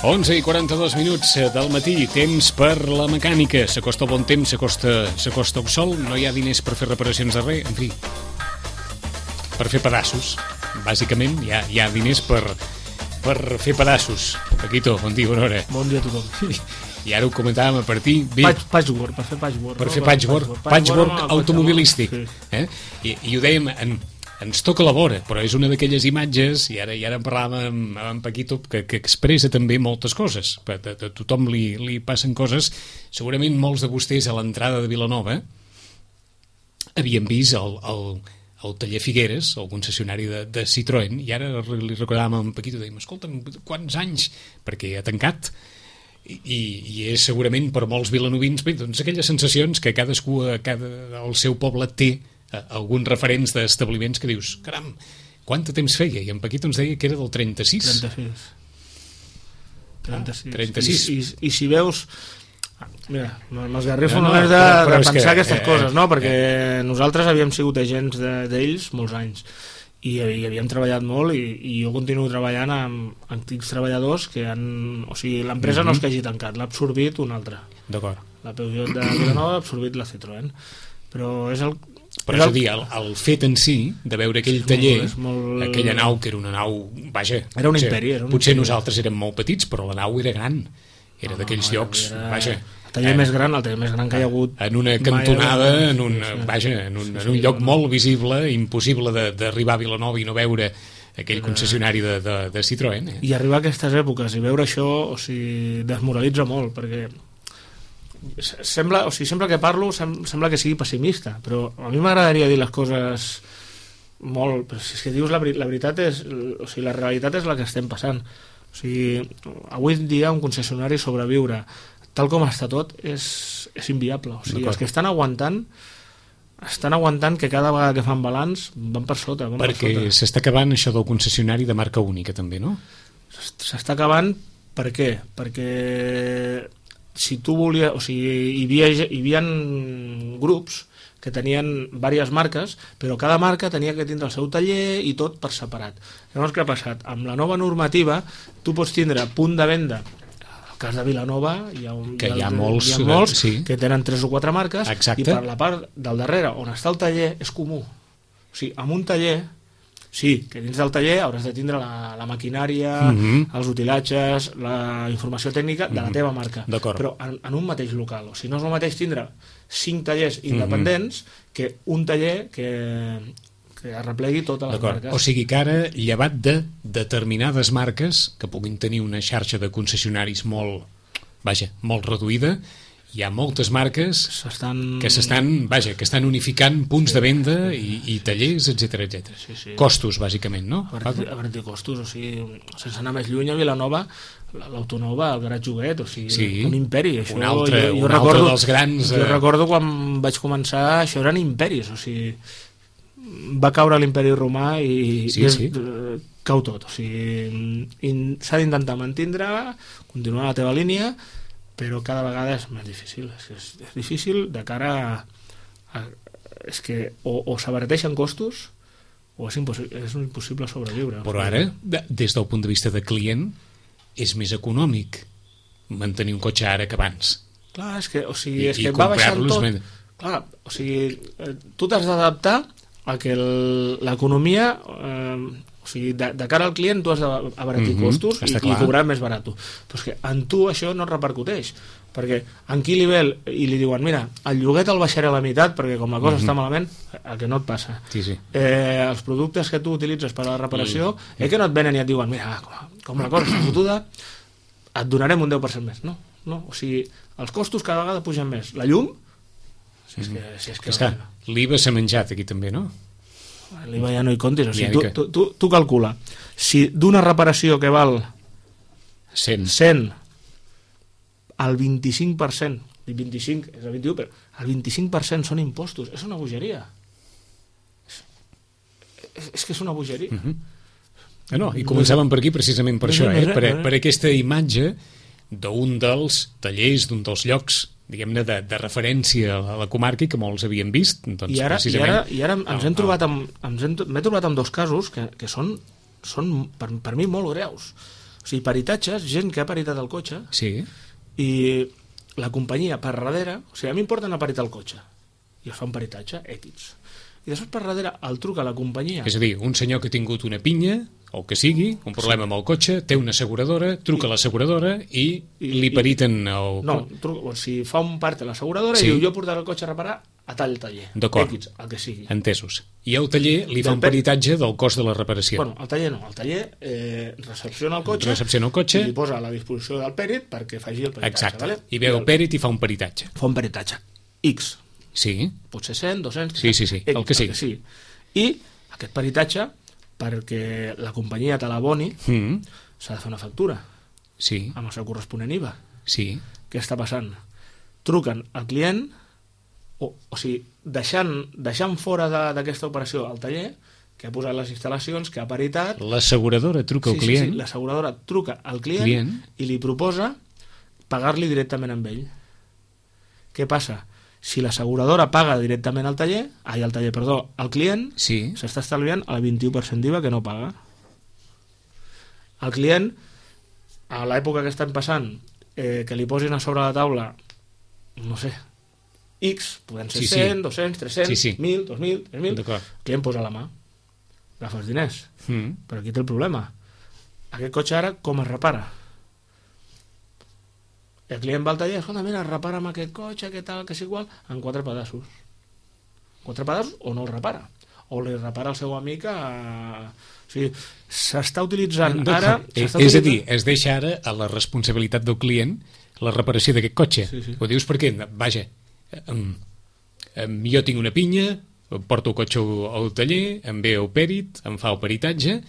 11 i 42 minuts del matí, temps per la mecànica. S'acosta el bon temps, s'acosta el sol, no hi ha diners per fer reparacions de res, en fi, per fer pedaços. Bàsicament hi ha diners per fer pedaços. Paquito, bon dia, bona hora. Bon dia a tothom. I ara ho comentàvem a partir... Patchwork, per fer patchwork. Per fer patchwork automobilístic. I ho dèiem... Ens toca la vora, però és una d'aquelles imatges, i ara en parlàvem amb en Paquito, que expressa també moltes coses. A tothom li passen coses. Segurament molts de vostès a l'entrada de Vilanova havien vist el taller Figueres, el concessionari de Citroën, i ara li recordàvem a en Paquito, dèiem, escolta'm, quants anys? Perquè ha tancat. I és segurament per molts vilanovins, bé, doncs aquelles sensacions que cadascú al seu poble té, alguns referents d'establiments que dius, caram, quant de temps feia? I en Paquito ens deia que era del 36. 36. I si veus... Mira, m'esgarrifo només de pensar aquestes coses, no? Perquè nosaltres havíem sigut agents d'ells molts anys i havíem treballat molt i jo continuo treballant amb antics treballadors que han... O sigui, l'empresa no és que hagi tancat, l'ha absorbit un altre. D'acord. La Peugeot de Vilanova ha absorbit la Citroën. Però és el... Però és a dir, el fet en si de veure aquell taller, aquella nau que era una nau, vaja, era un imperi, potser nosaltres érem molt petits, però la nau era gran, era d'aquells llocs, vaja, el taller més gran que hi ha hagut en una cantonada, en un lloc molt visible, impossible d'arribar a Vilanova i no veure aquell concessionari de Citroën. I arribar a aquestes èpoques i veure això, o sigui, desmoralitza molt, perquè sempre que parlo sembla que sigui pessimista, però a mi m'agradaria dir les coses molt, però si és que dius la veritat és, o sigui, la realitat és la que estem passant. O sigui, avui en dia un concessionari sobreviure tal com està tot és inviable. O sigui, els que estan aguantant que cada vegada que fan balanç van per sota. Perquè s'està acabant això del concessionari de marca única també, no? S'està acabant per què? Perquè si tu volies, o sigui, hi havia grups que tenien diverses marques, però cada marca tenia que tindre el seu taller i tot per separat. Llavors, què ha passat? Amb la nova normativa, tu pots tindre punt de venda. En el cas de Vilanova hi ha molts sí, que tenen 3 o 4 marques. Exacte. I per la part del darrere, on està el taller, és comú. O sigui, amb un taller... Sí, que dins del taller hauràs de tindre la maquinària, els utilatges, la informació tècnica de la teva marca. Però en un mateix local. O sigui, no és el mateix tindre 5 tallers independents que un taller que arreplegui totes les marques. O sigui que ara, llevat de determinades marques que puguin tenir una xarxa de concessionaris molt reduïda, hi ha moltes marques que estan unificant punts de venda i tallers, etc. Sí. Costos, bàsicament, no? A veure, costos, o sigui, sense anar més lluny, a Vilanova, l'Autonova, el Grat Joguet, o sigui, un imperi. Això, un altre dels grans... Jo recordo quan vaig començar, això eren imperis, o sigui, va caure l'imperi romà i cau tot, o sigui, s'ha d'intentar mantindre, continuar la teva línia, però cada vegada és més difícil. És difícil de cara a és que o s'abarateixen costos o és impossible sobreviure. Però ara, des del punt de vista de client, és més econòmic mantenir un cotxe ara que abans. Clar, és que va baixant tot. Clar, o sigui, tu t'has d'adaptar a que l'economia... O sigui, de cara al client tu has d'abaratir costos i cobrar més barat. Però és que en tu això no repercuteix, perquè en qui li ve i li diuen, mira, el lloguer te'l baixaré a la meitat perquè com la cosa està malament, el que no et passa. Els productes que tu utilitzes per a la reparació, que no et venen i et diuen, mira, com la cosa està fotuda, et donarem un 10% més. No, o sigui, els costos cada vegada pugen més. La llum, si és que l'IVA s'ha menjat aquí també, no? L'IVA ja no hi comptis, o sigui, tu calcula, si d'una reparació que val 100 el 25%, el 25 és el 21, però el 25% són impostos, és una bogeria. És que és una bogeria. I començàvem per aquí precisament per això, per aquesta imatge d'un dels tallers, d'un dels llocs diguem-ne, de referència a la comarca i que molts havien vist. Doncs, I ara m'he trobat amb dos casos que són per mi molt greus. O sigui, peritatges, gent que ha peritat el cotxe, Sí. i la companyia per darrere, o sigui, a mi em porten a peritar el cotxe i es fa un peritatge, X, i després per darrere el truca a la companyia, És a dir, un senyor que ha tingut una pinya, o el que sigui, un problema amb el cotxe, té una asseguradora, truca a l'asseguradora i li periten el... no, o sigui, fa un part a l'asseguradora Sí. i diu, jo portaré el cotxe a reparar a tal taller, D'acord. X, el que sigui. Entesos. I el taller li fa un Del peritatge del cost de la reparació. Bueno, el taller no, el taller recepciona el cotxe, Recepciona el cotxe. i li posa a la disposició del pèrit perquè faci el peritatge. Exacte. Vale? I veu el pèrit i fa un peritatge. Fa un peritatge. X, Sí. potser 100, 200... Sí, sí, sí, el que sigui. I aquest peritatge, perquè la companyia te l'aboni, s'ha de fer una factura Sí. amb el seu corresponent IVA. Sí. Què està passant? Truquen al client, o sigui, deixant fora d'aquesta operació el taller, que ha posat les instal·lacions, que ha peritat... L'asseguradora truca al client. Sí, l'asseguradora truca al client i li proposa pagar-li directament amb ell. Què passa? Si l'asseguradora paga directament al client, Sí. s'està estalviant el 21% d'IVA que no paga. El client, a l'època que estan passant, que li posin a sobre la taula, no sé, X, poden ser 100, 200, 300, 1.000, 2.000, 3.000, el client posa la mà, agafa els diners. Però aquí té el problema. Aquest cotxe ara com es repara? El client va al taller, escolta, mira, repara'm aquest cotxe, què tal, que és igual, en 4 pedaços. 4 pedaços o no el repara. O li repara el seu amic a... O sigui, s'està utilitzant ara... És a dir, es deixa ara a la responsabilitat del client la reparació d'aquest cotxe. Sí. Ho dius perquè, vaja, jo tinc una pinya, porto el cotxe al taller, em ve el pèrit, em fa el peritatge,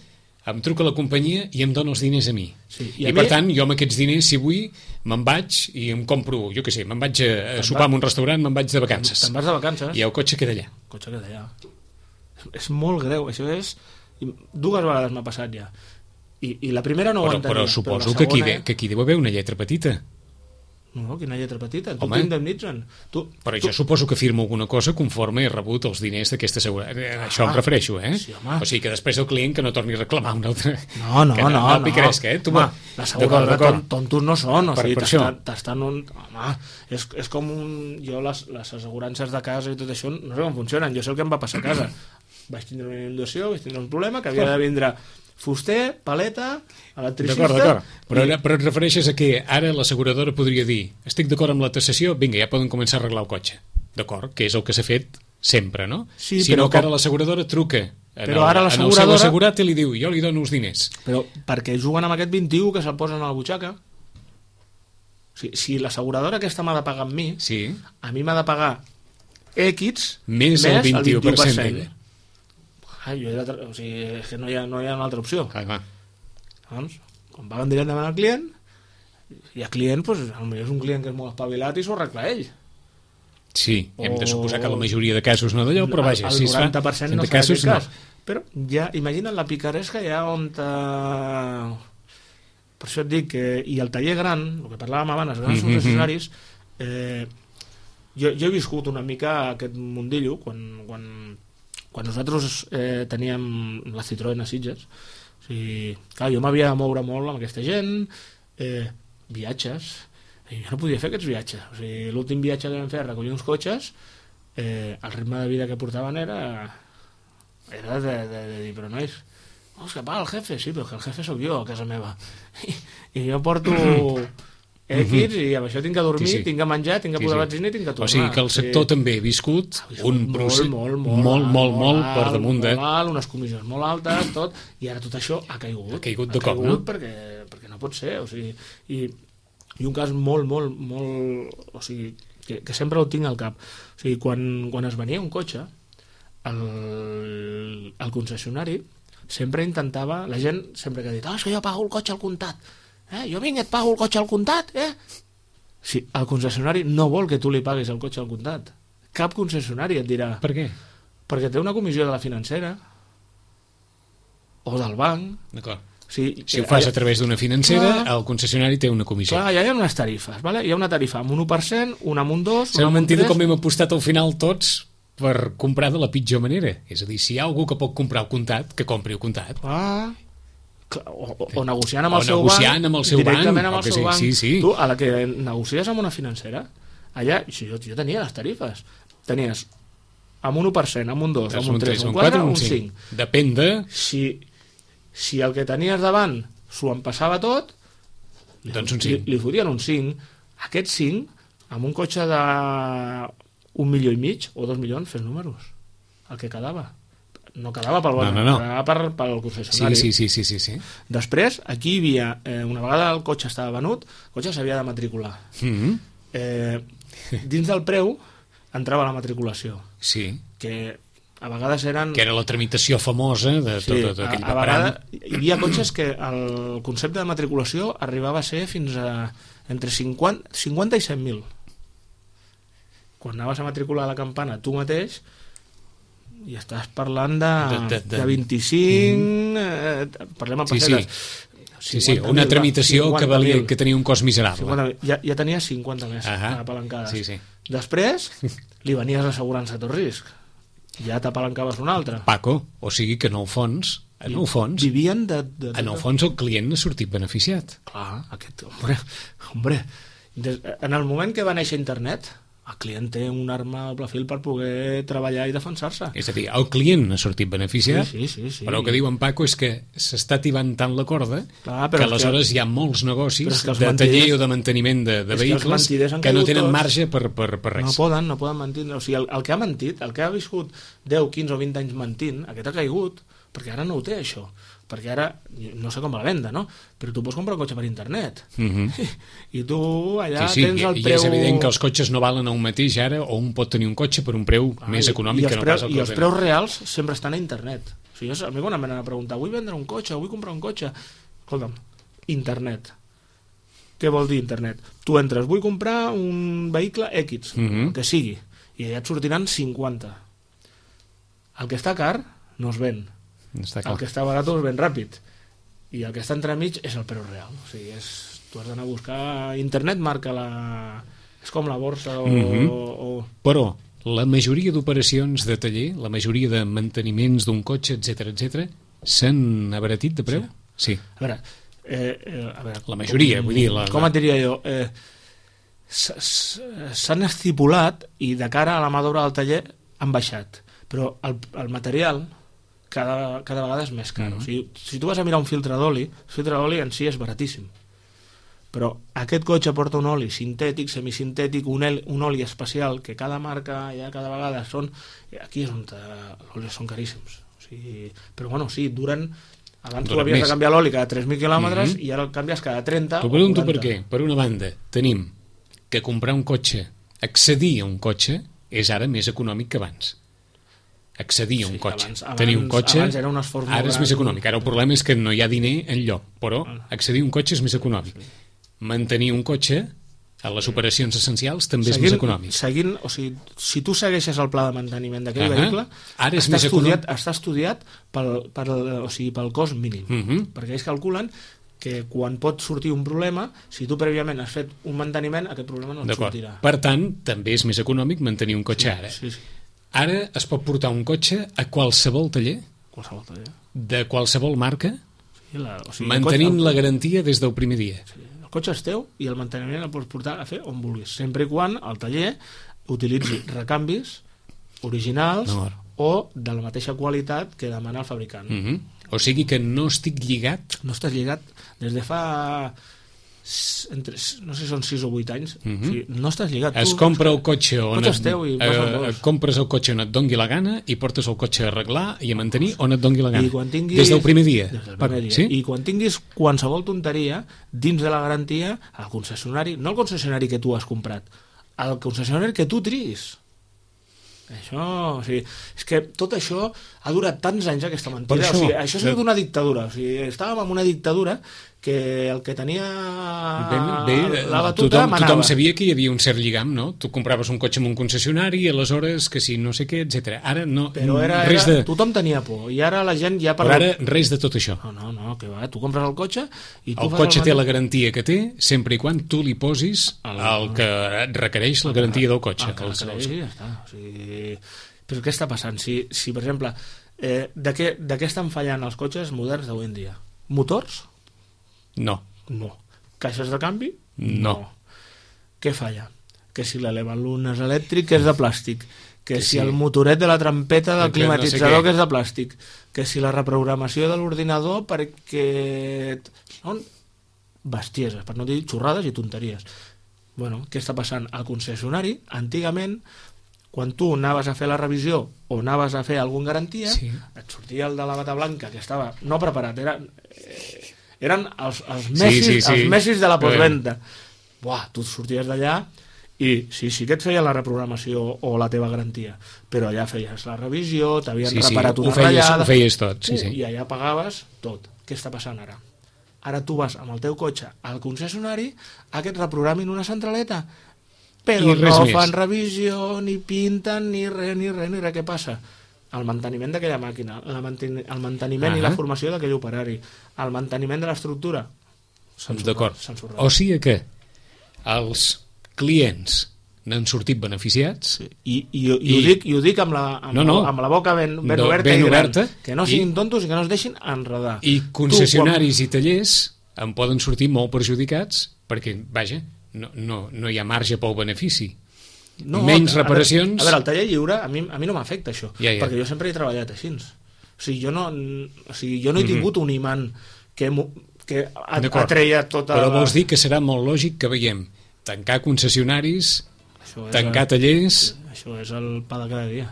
em truca la companyia i em dona els diners a mi. Sí, I per tant, jo amb aquests diners, si vull, me'n vaig i em compro, jo què sé, me'n vaig a sopar en un restaurant, me'n vaig de vacances. Te'n vas de vacances. I el cotxe queda allà. El cotxe queda allà. És molt greu, això és... 2 vegades m'ha passat ja. I la primera no ho entenia. Però suposo però que aquí deu haver una lletra petita. No, quina lletra petita, tu Home. t'indemnitzen. Però jo suposo que firmo alguna cosa conforme he rebut els diners d'aquesta assegurança. Això em refereixo, eh? Sí, home. O sigui que després el client que no torni a reclamar un altre... No. No picaresca, eh? Home, l'asseguradora tontos no són, o sigui, això. t'estan un... Home, és com un... Jo les assegurances de casa i tot això no sé com funcionen, jo sé el que em va passar a casa. Vaig tindre una inundació, vaig tindre un problema, que havia de vindre fuster, paleta, electricista... D'acord. Però et refereixes a que ara l'asseguradora podria dir estic d'acord amb la taxació, vinga, ja poden començar a arreglar el cotxe. D'acord? Que és el que s'ha fet sempre, no? Sí, si no, que ara l'asseguradora truca en el seu assegurat i li diu jo li dono els diners. Però perquè juguen amb aquest 21 que se'l posen a la butxaca. O sigui, si l'asseguradora aquesta m'ha de pagar amb mi, Sí. a mi m'ha de pagar X Més el 21% d'ella. O sigui, és que no hi ha una altra opció. Clar. Doncs, quan paguen directament al client, i el client, doncs, potser és un client que és molt espavilat i s'ho arregla ell. Sí, hem de suposar que la majoria de casos no d'allò, però vaja, el si es fa 90% no de s'ha casos fet no. cas. Però ja, imagina't la picaresca ja on... Per això et dic que... I el taller gran, el que parlàvem abans, els grans concessionaris, jo he viscut una mica aquest mundillo quan nosaltres teníem la Citroën a Sitges. O sigui, clar, jo m'havia de moure molt amb aquesta gent, viatges, i jo no podia fer aquests viatges. O sigui, l'últim viatge que vam fer a recollir uns cotxes, el ritme de vida que portaven era de dir, però nois, és que paga el jefe, sí, però que el jefe sóc jo a casa meva. I jo porto X i amb això tinc que dormir, Sí. tinc que menjar, tinc que posar benzina i tinc que tornar. O sigui que el sector també ha viscut un procés molt per damunt de... unes comissions molt altes, tot, i ara tot això ha caigut. Ha caigut de cop, no? Perquè no pot ser, o sigui, i un cas molt, o sigui, que sempre ho tinc al cap. O sigui, quan es venia un cotxe, el concessionari sempre intentava, la gent sempre que ha dit, és que jo pago el cotxe al comptat, jo vinc i et pago el cotxe al comptat, Sí, el concessionari no vol que tu li paguis el cotxe al comptat. Cap concessionari et dirà... Per què? Perquè té una comissió de la financera o del banc. D'acord. Si ho fas a través d'una financera, el concessionari té una comissió. Clar, ja hi ha unes tarifes, ¿vale? Hi ha una tarifa amb un 1%, una amb un 2%... S'ha mentit com hem apostat al final tots per comprar de la pitjor manera. És a dir, si hi ha algú que pot comprar el comptat, que compri el comptat. o negociant amb el seu negociant amb el seu directament banc, amb o el que seu sí, banc. sí, sí. Tu, a la que negocies amb una financera, allà jo tenia les tarifes, tenies amb un 1%, amb un 2, amb un 3, un 4, un 5. Depèn de... Si el que tenies davant s'ho empassava tot, doncs un 5. li fotien un 5. Aquest 5, amb un cotxe de 1,5 milions o 2 milions, fes números. El que quedava. No quedava pel banc, no. quedava pel concessionari. Sí. Després, aquí hi havia, una vegada el cotxe estava venut, el cotxe s'havia de matricular. Dins del preu entrava la matriculació. Sí. Que a vegades eren... Que era la tramitació famosa de tot aquell a vegades hi havia cotxes que el concepte de matriculació arribava a ser fins a entre 50 i 100.000. Quan anaves a matricular la campana tu mateix, i estàs parlant de 25, parlem a pessetes. Sí, una tramitació que tenia un cost miserable. Ja tenia 50 més apalancades. Sí. Després li venies l'assegurança a tot risc. Ja t'apalancaves una altra. Paco, o sigui que en el fons vivien en el fons el client n'ha sortit beneficiat. Clar, hombre, en el moment que va néixer internet, el client té un arma a doble fil per poder treballar i defensar-se. És a dir, el client n'ha sortit beneficiat, sí. però el que diu en Paco és que s'està tibant tant la corda que aleshores hi ha molts negocis de taller o de manteniment de vehicles que no tenen marge per res. No poden mentir. O sigui, el que ha mentit, el que ha viscut 10, 15 o 20 anys mentint, aquest ha caigut, perquè ara no ho té, això. Perquè ara, no sé com va la venda, no? Però tu pots comprar un cotxe per internet. I tu allà tens el preu... I és evident que els cotxes no valen el mateix ara, o un pot tenir un cotxe per un preu més econòmic que no pas el que I els preus reals sempre estan a internet. O sigui, a mi quan em venen a preguntar vull vendre un cotxe, vull comprar un cotxe, escolta'm, internet. Què vol dir internet? Tu entres, vull comprar un vehicle X, que sigui, i allà et sortiran 50. El que està car no es ven. El que està barat es ven ràpid, i el que està entremig és el preu real. O sigui, tu has d'anar a buscar... Internet marca és com la borsa Però la majoria d'operacions de taller, la majoria de manteniments d'un cotxe, etc, s'han abaratit de preu? Sí. A veure, la majoria, vull dir... Com et diria jo? S'han estipulat i de cara a la mà d'obra del taller han baixat, però el material cada vegada és més car. O sigui, si tu vas a mirar un filtre d'oli, el filtre d'oli en si és baratíssim, però aquest cotxe porta un oli sintètic, semisintètic, un oli especial que cada marca ja cada vegada són... Aquí és on els olis són caríssims. O sigui, però bueno, sí, duren... Abans tu havies de canviar l'oli cada 3.000 quilòmetres i ara el canvies cada 30 o 40. T'ho pregunto per què. Per una banda, tenim que comprar un cotxe, accedir a un cotxe, és ara més econòmic que abans. Accedir a un cotxe, tenir un cotxe ara és més econòmic, ara el problema és que no hi ha diner enlloc, però accedir a un cotxe és més econòmic, mantenir un cotxe a les operacions essencials també és més econòmic. O sigui, si tu segueixes el pla de manteniment d'aquell vehicle, ara està estudiat pel cost mínim, perquè ells calculen que quan pot sortir un problema, si tu prèviament has fet un manteniment, aquest problema no et sortirà. Per tant, també és més econòmic mantenir un cotxe ara. Ara es pot portar un cotxe a qualsevol taller, de qualsevol marca, mantenint la garantia des del primer dia. El cotxe és teu i el manteniment el pots portar a fer on vulguis, sempre i quan el taller utilitzi recanvis originals o de la mateixa qualitat que demana el fabricant. O sigui que no estic lligat... No estàs lligat des de fa... no sé si són 6 o 8 anys, o sigui, no estàs lligat. Es compra el cotxe on compres el cotxe on et dongui la gana i portes el cotxe a arreglar i a mantenir on et dongui la gana. Des del primer dia. I quan tinguis qualsevol tonteria, dins de la garantia, al concessionari, no el concessionari que tu has comprat, el concessionari que tu triïs. Això, o sigui, és que tot això ha durat tants anys, aquesta mentida. O sigui, això és d'una dictadura. O sigui, estàvem en una dictadura que el que tenia la batuta manava. Tothom sabia que hi havia un cert lligam, no? Tu compraves un cotxe en un concessionari i aleshores que si no sé què, etc. Ara no... Però tothom tenia por i ara la gent ja... Però ara res de tot això. No, que va, tu compres el cotxe i tu... El cotxe té la garantia que té sempre i quan tu li posis el que requereix la garantia del cotxe. Ja està. O sigui, però què està passant? Si per exemple, de què estan fallant els cotxes moderns d'avui en dia? Motors? No. No. Caixes de canvi? No. Què falla? Que si l'elevalunes elèctric és de plàstic, que si sí. el motoret de la trampeta del Que no sé climatitzador què. que és de plàstic, que si la reprogramació de l'ordinador perquè... Són bestieses, per no dir xorrades i tonteries. Bueno, què està passant? Al concessionari, antigament, quan tu anaves a fer la revisió o anaves a fer alguna garantia, Sí. et sortia el de la bata blanca, que estava no preparat, eren els messis, els messis de la postventa. Buah, tu sorties d'allà i sí que et feien la reprogramació o la teva garantia, però allà feies la revisió, t'havien reparat una ratllada, ho feies tot, sí. i allà pagaves tot. Què està passant ara? Ara tu vas amb el teu cotxe al concessionari a que et reprogramin una centraleta, però no fan revisió, ni pinten, ni res. Què passa? El manteniment d'aquella màquina, el manteniment i la formació d'aquell operari, el manteniment de l'estructura, d'acord. O sigui que els clients n'han sortit beneficiats. I ho dic amb la boca ben oberta i gran, que no siguin tontos i que no es deixin enredar. I concessionaris i tallers en poden sortir molt perjudicats perquè, vaja, no hi ha marge pel benefici. Menys reparacions... A veure, el taller lliure a mi no m'afecta això, perquè jo sempre he treballat així. O sigui, jo no he tingut un imant que atreia tota... Però vols dir que serà molt lògic que veiem tancar concessionaris, tancar tallers... Això és el pa de cada dia.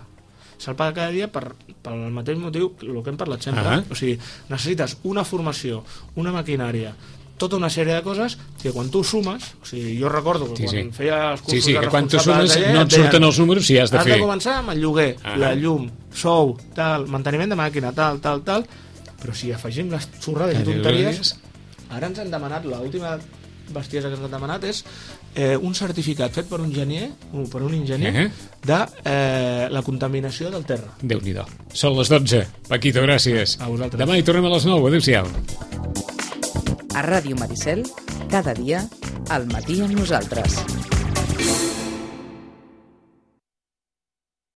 És el pa de cada dia pel mateix motiu el que hem parlat sempre. O sigui, necessites una formació, una maquinària, tota una sèrie de coses que quan tu sumes, o sigui, jo recordo que quan feia els cursos de responsable de taller, no et surten els números si has de fer. Has de començar amb el lloguer, la llum, sou, tal, manteniment de màquina, tal, però si afegim les xorrades i tonteries, ara ens han demanat, l'última bestiesa que ens han demanat és un certificat fet per un enginyer de la contaminació del terra. Déu-n'hi-do. Són les 12. Paquito, gràcies. A vosaltres. Demà hi tornem a les 9. Adéu-siau. A Ràdio Maricel, cada dia, al matí amb nosaltres.